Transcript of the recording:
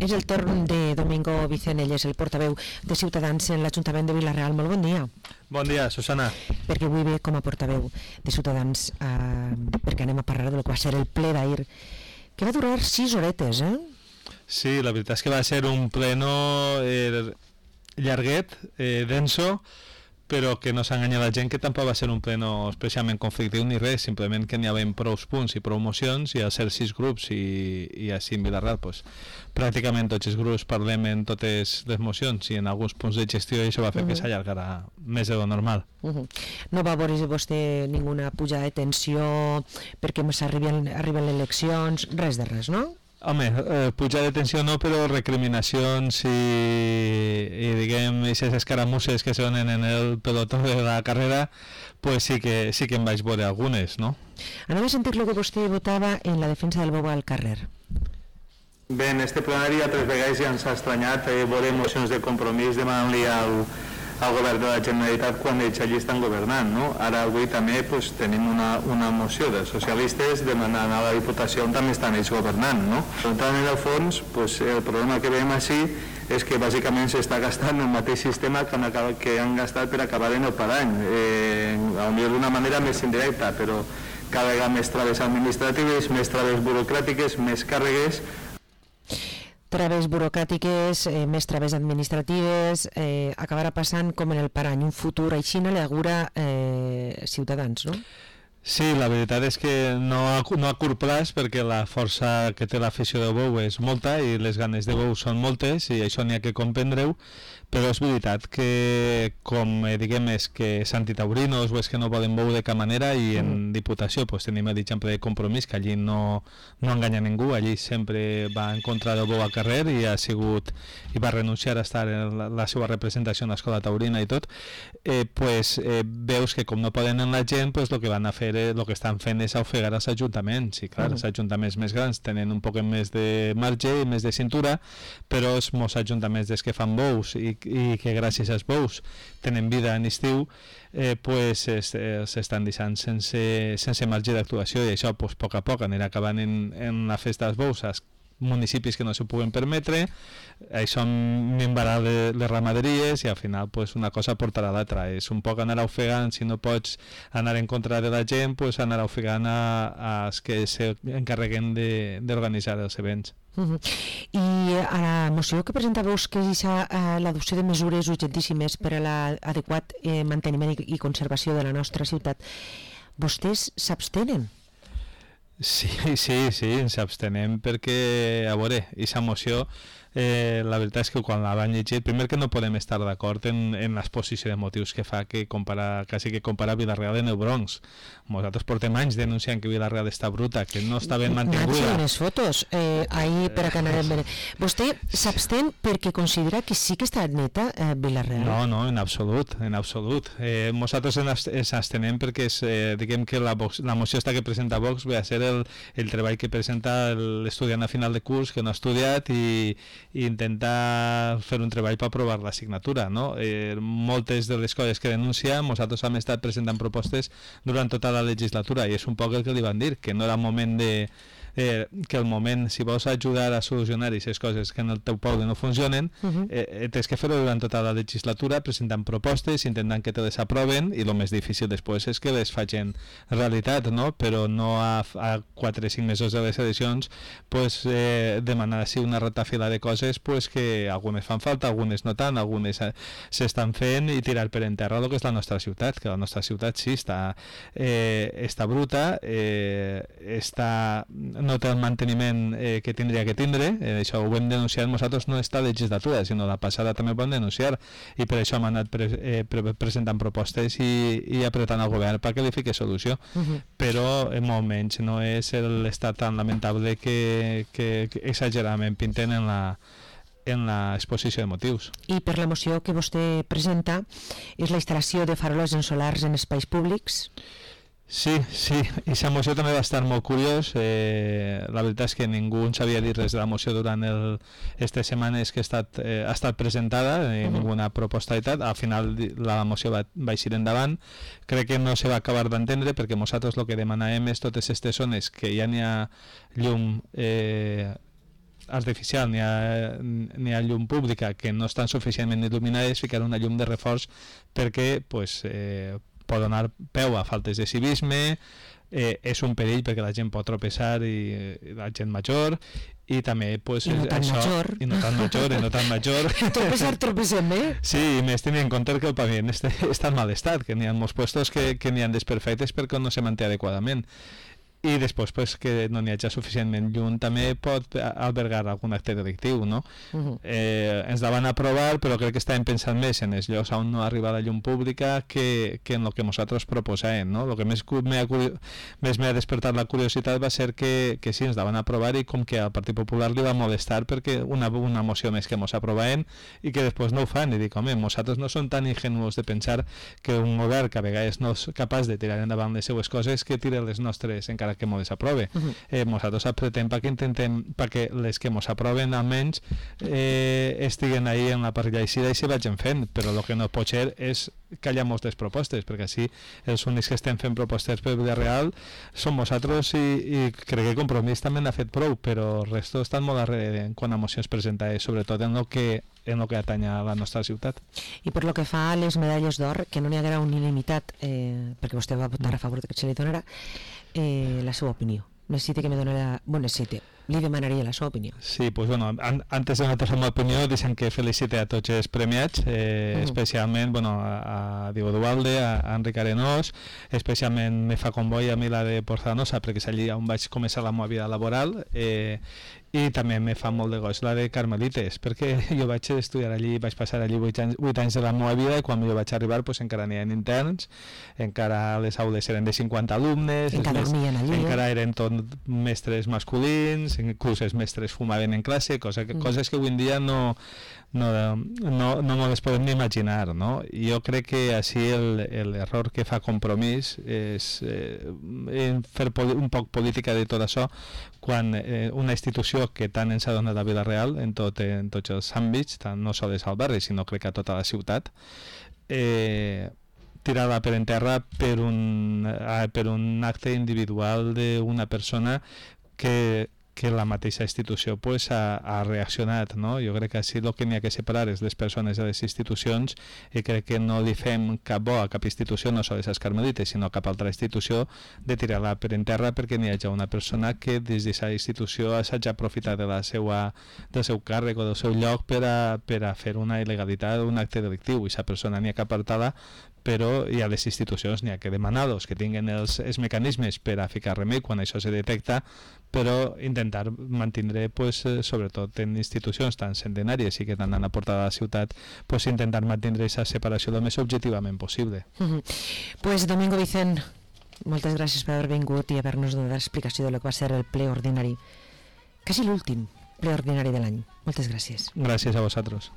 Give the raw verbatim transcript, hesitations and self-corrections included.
És el torn de Domingo Vicenelles, el portaveu de Ciutadans en l'Ajuntament de Vila-real. Molt bon dia. Bon dia, Susana. Perquè avui ve com a portaveu de Ciutadans, eh, perquè anem a parlar del que va ser el ple d'ahir, que va durar sis horetes, eh? Sí, la veritat és que va ser un pleno eh, llarguet, eh, denso, però que no s'enganya la gent que tampoc va ser un pleno especialment conflictiu ni res, simplement que n'hi havia prou punts i prou mocions i al ser sis grups i, i així en Vila-real pues, pràcticament tots els grups parlem en totes les mocions i en alguns punts de gestió i això va fer uh-huh. que s'allargarà més de lo normal. Uh-huh. No va veure vostè ninguna pujada de tensió perquè arriben, arriben les eleccions, res de res, no? Home, eh, pujar de tensió no, però recriminacions i, i diguem, aquestes escaramusses que se donen en el pelotó de la carrera, pues sí que, sí que em vaig veure algunes, no? Anem a sentir el que vostè votava en la defensa del bou al carrer. Bé, en este plenari altres vegades ja ens ha estranyat eh, veure mocions de compromís demanant-li al, al govern de la Generalitat quan ells allí estan governant, no? Ara avui també pues, tenim una, una moció dels socialistes demanant a la Diputació on també estan ells governant, no? Per tant, en el fons, pues, el problema que veiem així és que bàsicament s'està gastant el mateix sistema que han, que han gastat per acabar en el parany, eh, potser d'una manera més indirecta, però cada vegada més traves administratives, més traves burocràtiques, més càrregues. Traves burocràtiques, eh, més traves administratives, eh, acabarà passant com en el parany, un futur així no li augura eh, Ciutadans, no? Sí, la veritat és que no a, no a curt plaç perquè la força que té l'afició de bou és molta i les ganes de bou són moltes i això n'hi ha que comprendre-ho, però és veritat que com eh, diguem és que és antitaurinos o és que no poden bou de cap manera i en mm. Diputació pues, tenim l'exemple de Compromís que allí no, no enganya ningú, allí sempre va en contra del bou al carrer i ha sigut i va renunciar a estar en la, la seva representació en l'escola taurina i tot, eh, pues, eh, veus que com no poden en la gent pues, el que van a fer el que estan fent és ofegar els ajuntaments i clar, uh-huh. els ajuntaments més grans tenen un poc més de marge i més de cintura, però els molts ajuntaments des que fan bous i, i que gràcies als bous tenen vida en estiu eh, pues s'estan deixant sense, sense marge d'actuació i això pues, a poc a poc anirà acabant en, en la festa dels bous als municipis que no se puguen permetre, això minvarà les ramaderies i al final pues, una cosa portarà a l'altra, és un poc anar ofegant, si no pots anar en contra de la gent, pues, anar ofegant a, als que s'encarreguen d'organitzar els events. Uh-huh. I a la moció que presentàveu que és uh, l'adopció de mesures urgentíssimes per a l'adequat eh, manteniment i, i conservació de la nostra ciutat, vostès s'abstenen? Sí, sí, sí, ens abstenem perquè, a veure, aquesta moció, eh, la veritat és que quan la van llegir, primer que no podem estar d'acord en, en l'exposició de motius que fa que compara, quasi que compara Vila-real en el Bronx. Nosaltres portem anys denunciant que Vila-real està bruta, que no està ben mantinguda. Nacho, les fotos, eh, ahir per a que anàvem bé. Vostè s'abstén perquè considera que sí que està neta eh, Vila-real? No, no, en absolut, en absolut. Eh, nosaltres ens abstenem perquè és, eh, diguem que la, Vox, la moció esta que presenta Vox ve a ser el, el treball que presenta l'estudiant a final de curs que no ha estudiat i, i intentar fer un treball per aprovar l'assignatura, no? Eh, moltes de les coses que denuncia, nosaltres hem estat presentant propostes durant tota la legislatura i és un poc el que li van dir, que no era moment de Eh, que el moment, si vols ajudar a solucionar aquestes coses que en el teu poble no funcionen, uh-huh. eh, tens que fer-ho durant tota la legislatura, presentant propostes, intentant que te les aproven, i el més difícil després és que les facin realitat, no? Però no a, a quatre o cinc mesos de les eleccions pues, eh, demanar així una ratafila de coses pues, que algunes fan falta, algunes no tant, algunes s'estan fent i tirar per enterra el que és la nostra ciutat, que la nostra ciutat sí està, eh, està bruta, eh, està no té el manteniment eh, que tindria que tindre, eh, això ho hem denunciat nosaltres no esta legislatura, sinó la passada també ho vam denunciar i per això hem anat pre eh, pre presentant propostes i, i apretant al govern perquè li fiqui solució, uh-huh. però en molt menys no és l'estat tan lamentable que, que, que exageradament pinten en la en l'exposició de motius. I per la moció que vostè presenta és la instal·lació de faroles en solars en espais públics? Sí, sí, i la moció també va estar molt curiós, eh, la veritat és que ningú en sabia dir res de la moció durant aquestes setmanes que ha estat, eh, ha estat presentada, eh, uh-huh. ninguna proposta i tal, al final la moció va, va eixir endavant, crec que no se va acabar d'entendre perquè nosaltres el que demanàvem és totes aquestes zones que ja n'hi ha llum eh, artificial ni a, ni a llum pública que no estan suficientment il·luminades, ficar una llum de reforç perquè pues, eh, pot donar peu a faltes de civisme, eh, és un perill perquè la gent pot tropeçar i, i la gent major i també pues, I no tan això, major i no tan major, i no tan major tropezar, tropecem, eh? sí, i més tenint en compte que el paviment està, està en mal estat, que n'hi ha molts puestos que, que n'hi ha desperfectes perquè no se manté adequadament. I després pues, que no n'hi hagi suficientment llum també pot albergar algun acte delictiu, no? Uh-huh. eh, ens la van aprovar, però crec que estàvem pensant més en els llocs on no arriba la llum pública que, que en el que nosaltres proposàvem, no? El que més m'ha més m'ha despertat la curiositat va ser que, que sí, ens la van aprovar i com que al Partit Popular li va molestar perquè una, una moció més que mos aprovaven i que després no ho fan, i dic, home, nosaltres no som tan ingenuos de pensar que un govern que a vegades no és capaç de tirar endavant les seues coses que tira les nostres encara que mos desaprove. Uh-huh. eh, nosaltres apretem perquè intentem perquè les que mos aproven almenys eh, estiguen ahí en la parrilla eixida i se vagin fent, però el que no pot ser és callar moltes propostes, perquè així els únics que estem fent propostes per vida real som nosaltres i, i crec que Compromís també n'ha fet prou, però el resto estan molt darrere en quant a mocions presentades, sobretot en el que en el que atanya a la nostra ciutat. I per lo que fa a les medalles d'or, que no n'hi haguera unanimitat, eh, perquè vostè va votar a favor que se li donarà, eh, la seva opinió. Necessita que me doni la... Bueno, necessita. Li demanaria la seva opinió. Sí, pues bueno, an antes de notar la meva opinió, deixem que felicite a tots els premiats, eh, uh -huh. especialment bueno, a, a Diego Duvalde, a, a Enric Arenós, especialment me fa comboi a mi la de Porzanosa, perquè és allí on vaig començar la meva vida laboral, eh, i també me fa molt de goig la de Carmelites, perquè jo vaig estudiar allí, vaig passar allí vuit anys, vuit anys de la meva vida, i quan jo vaig arribar pues, encara n'hi ha interns, encara les aules eren de cinquanta alumnes, encara dormien allí, encara eren tot mestres masculins, inclús els mestres fumaven en classe, cosa que, mm. coses que avui en dia no no, no, no no les podem ni imaginar, no? Jo crec que així l'error que fa Compromís és eh, fer un poc política de tot això quan eh, una institució que tant ens ha donat la vida real en, tot, en tots els àmbits, tant no sols al barri, sinó crec que a tota la ciutat, eh, tirada per en terra per un, eh, per un acte individual d'una persona que que la mateixa institució pues, ha, ha reaccionat, no? Jo crec que així el que n'hi ha que separar és les persones de les institucions i crec que no li fem cap bo a cap institució, no sols als Carmelites, sinó a cap altra institució, de tirar-la per en terra perquè n'hi hagi una persona que des d'aquesta institució s'hagi aprofitat de la seva, del seu càrrec o del seu lloc per a, per a fer una il·legalitat o un acte delictiu, i aquesta persona n'hi ha que apartar-la, però hi ha les institucions, n'hi ha que demanar-los que tinguin els, els mecanismes per a ficar remei quan això se detecta, però intentar mantindre, pues, eh, sobretot en institucions tan centenàries i que tant han aportat a la ciutat, pues, intentar mantindre aquesta separació el més objectivament possible. Uh-huh. Pues Domingo Vicent, moltes gràcies per haver vingut i haver-nos donat l'explicació de lo que va ser el ple ordinari, quasi l'últim ple ordinari de l'any. Moltes gràcies. Gràcies a vosaltres.